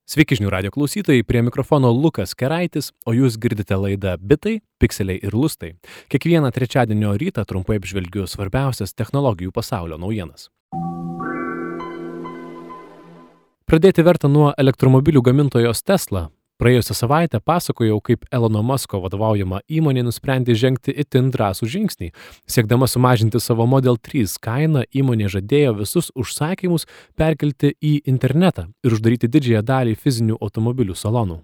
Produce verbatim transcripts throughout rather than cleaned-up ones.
Sveiki žinių radio klausytojai, prie mikrofono Lukas Keraitis, o jūs girdite laidą Bitai, Pikseliai ir Lustai. Kiekvieną trečiadienio rytą trumpai apžvelgiu svarbiausias technologijų pasaulio naujienas. Pradėti verta nuo elektromobilių gamintojos Tesla. Praėjusią savaitę pasakojau, kaip Elono Musko vadovaujama įmonė nusprendė žengti itin drąsų žingsnį. Siekdama sumažinti savo Model trys kainą, įmonė žadėjo visus užsakymus perkelti į internetą ir uždaryti didžiąją dalį fizinių automobilių salonų.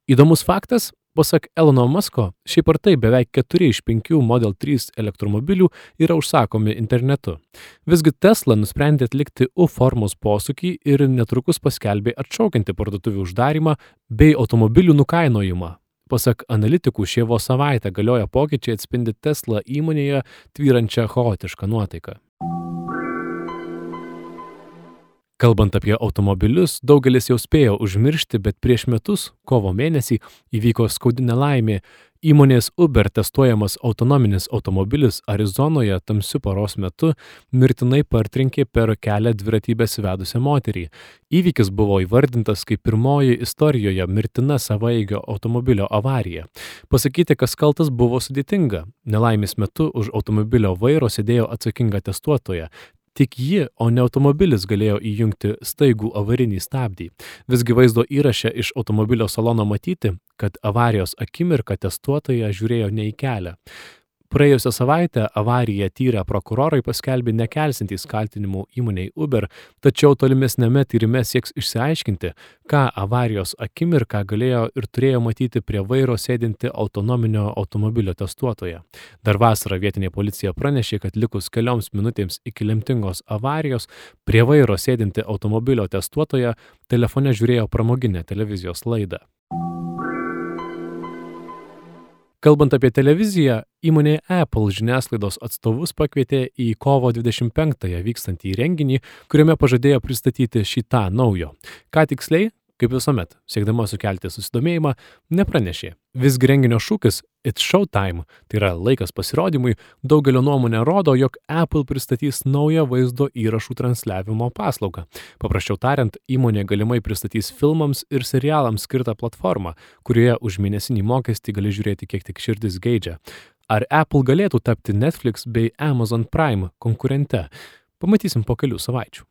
Įdomus faktas, pasak Elono Musko, šiaip ar taip beveik keturi iš penkių Model trys elektromobilių yra užsakomi internetu. Visgi Tesla nusprendė atlikti U formos posūkį ir netrukus paskelbė atšaukianti parduotuvių uždarymą bei automobilių nukainojimą. Pasak analitikų, šie vos savaitę galioja pokyčiai atspindi Tesla įmonėje tvyrančią chaotišką nuotaiką. Kalbant apie automobilius, daugelis jau spėjo užmiršti, bet prieš metus, kovo mėnesį, įvyko skaudi nelaimė. Įmonės Uber testuojamas autonominis automobilis Arizonoje tamsiu paros metu mirtinai partrenkė per kelią dviratį besivedusią moterį. Įvykis buvo įvardintas kaip pirmoji istorijoje mirtina savaeigio automobilio avarija. Pasakyti, kas kaltas, buvo sudėtinga. Nelaimės metu už automobilio vairo sėdėjo atsakinga testuotoja. Tik ji, o ne automobilis galėjo įjungti staigų avarinį stabdį. Visgi vaizdo įraše iš automobilio salono matyti, kad avarijos akimirką testuotoja žiūrėjo ne į kelią. Praėjusią savaitę avariją tyrę prokurorai paskelbė nekelsintys kaltinimų įmonei Uber, tačiau tolimesniame tyrime sieks išsiaiškinti, ką avarijos akimirką galėjo ir turėjo matyti prie vairo sėdinti autonominio automobilio testuotoja. Dar vasarą vietinė policija pranešė, kad likus kelioms minutėms iki lemtingos avarijos prie vairo sėdinti automobilio testuotoja telefone žiūrėjo pramoginę televizijos laidą. Kalbant apie televiziją, įmonė Apple žiniasklaidos atstovus pakvietė į kovo dvidešimt penktąją vykstantį renginį, kuriame pažadėjo pristatyti šį tą naujo. Ką tiksliai, kaip visuomet, siekdama sukelti susidomėjimą, nepranešė. Visgi renginio šūkis It's Showtime, tai yra laikas pasirodymui, daugelio nuomonė rodo, jog Apple pristatys naują vaizdo įrašų transliavimo paslaugą. Paprasčiau tariant, įmonė galimai pristatys filmams ir serialams skirtą platformą, kurioje už mėnesinį mokestį gali žiūrėti kiek tik širdis geidžia. Ar Apple galėtų tapti Netflix bei Amazon Prime konkurente? Pamatysim po kelių savaičių.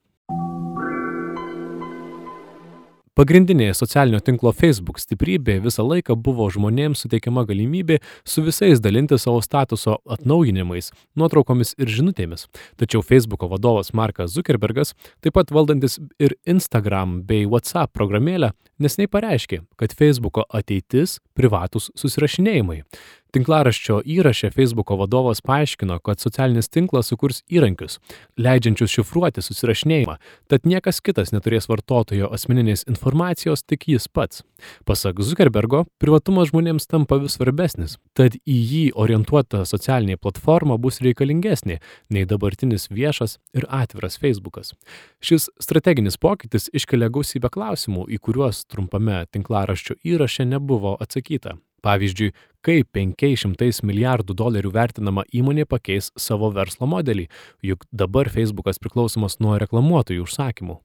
Pagrindinė socialinio tinklo Facebook stiprybė visą laiką buvo žmonėms suteikiama galimybė su visais dalinti savo statuso atnaujinimais, nuotraukomis ir žinutėmis. Tačiau Facebooko vadovas Markas Zuckerbergas, taip pat valdantis ir Instagram bei WhatsApp programėlę, neseniai pareiškė, kad Facebooko ateitis privatūs susirašinėjimai. Tinklaraščio įraše Facebooko vadovas paaiškino, kad socialinis tinklas sukurs įrankius, leidžiančius šifruoti susirašinėjimą, tad niekas kitas neturės vartotojo asmeninės informacijos, tik jis pats. Pasak Zuckerbergo, privatumas žmonėms tampa vis svarbesnis, tad į jį orientuota socialinė platforma bus reikalingesnė nei dabartinis viešas ir atviras Facebookas. Šis strateginis pokytis iškelia gausybę klausimų, į kuriuos trumpame tinklaraščio įraše nebuvo atsakyta. Pavyzdžiui, kaip penkiais šimtais milijardų dolerių vertinama įmonė pakeis savo verslo modelį, juk dabar Facebookas priklausomas nuo reklamuotojų užsakymų.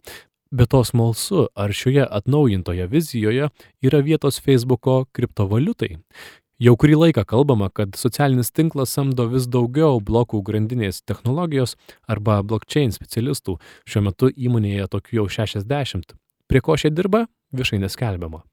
Be to smalsu, ar šioje atnaujintoje vizijoje yra vietos Facebooko kriptovaliutai. Jau kurį laiką kalbama, kad socialinis tinklas samdo vis daugiau blokų grandinės technologijos arba blockchain specialistų. Šiuo metu įmonėje tokių jau šešiasdešimt. Prie ko šie dirba, viešai neskelbiama.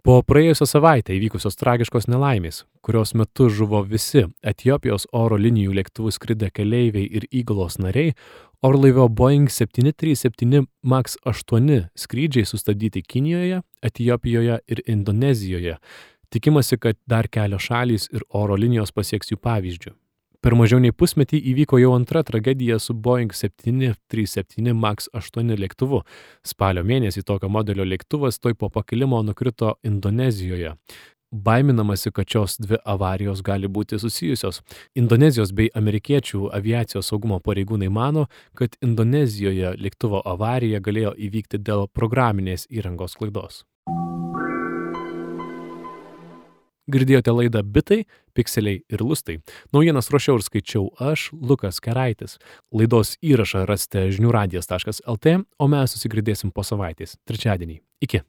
Po praėjusią savaitę įvykusios tragiškos nelaimės, kurios metu žuvo visi Etiopijos oro linijų lėktuvų skridę keleiviai ir įgulos nariai, orlaivio Boeing septyni trys septyni Max aštuoni skrydžiai sustabdyti Kinijoje, Etiopijoje ir Indonezijoje. Tikimasi, kad dar kelios šalys ir oro linijos pasieks jų pavyzdžių. Per mažiau nei pusmetį įvyko jau antra tragedija su Boeing septyni trys septyni Max aštuoni lėktuvu. Spalio mėnesį tokio modelio lėktuvas tuoj po pakilimo nukrito Indonezijoje. Baiminamasi, kad šios dvi avarijos gali būti susijusios. Indonezijos bei amerikiečių aviacijos saugumo pareigūnai mano, kad Indonezijoje lėktuvo avarija galėjo įvykti dėl programinės įrangos klaidos. Girdėjote laidą Bitai, Pikseliai ir Lustai. Naujienas ruošiau ir skaičiau aš, Lukas Keraitis. Laidos įrašą rasite žinių radijas taškas lt, o mes susigirdėsim po savaitės, trečiadienį. Iki.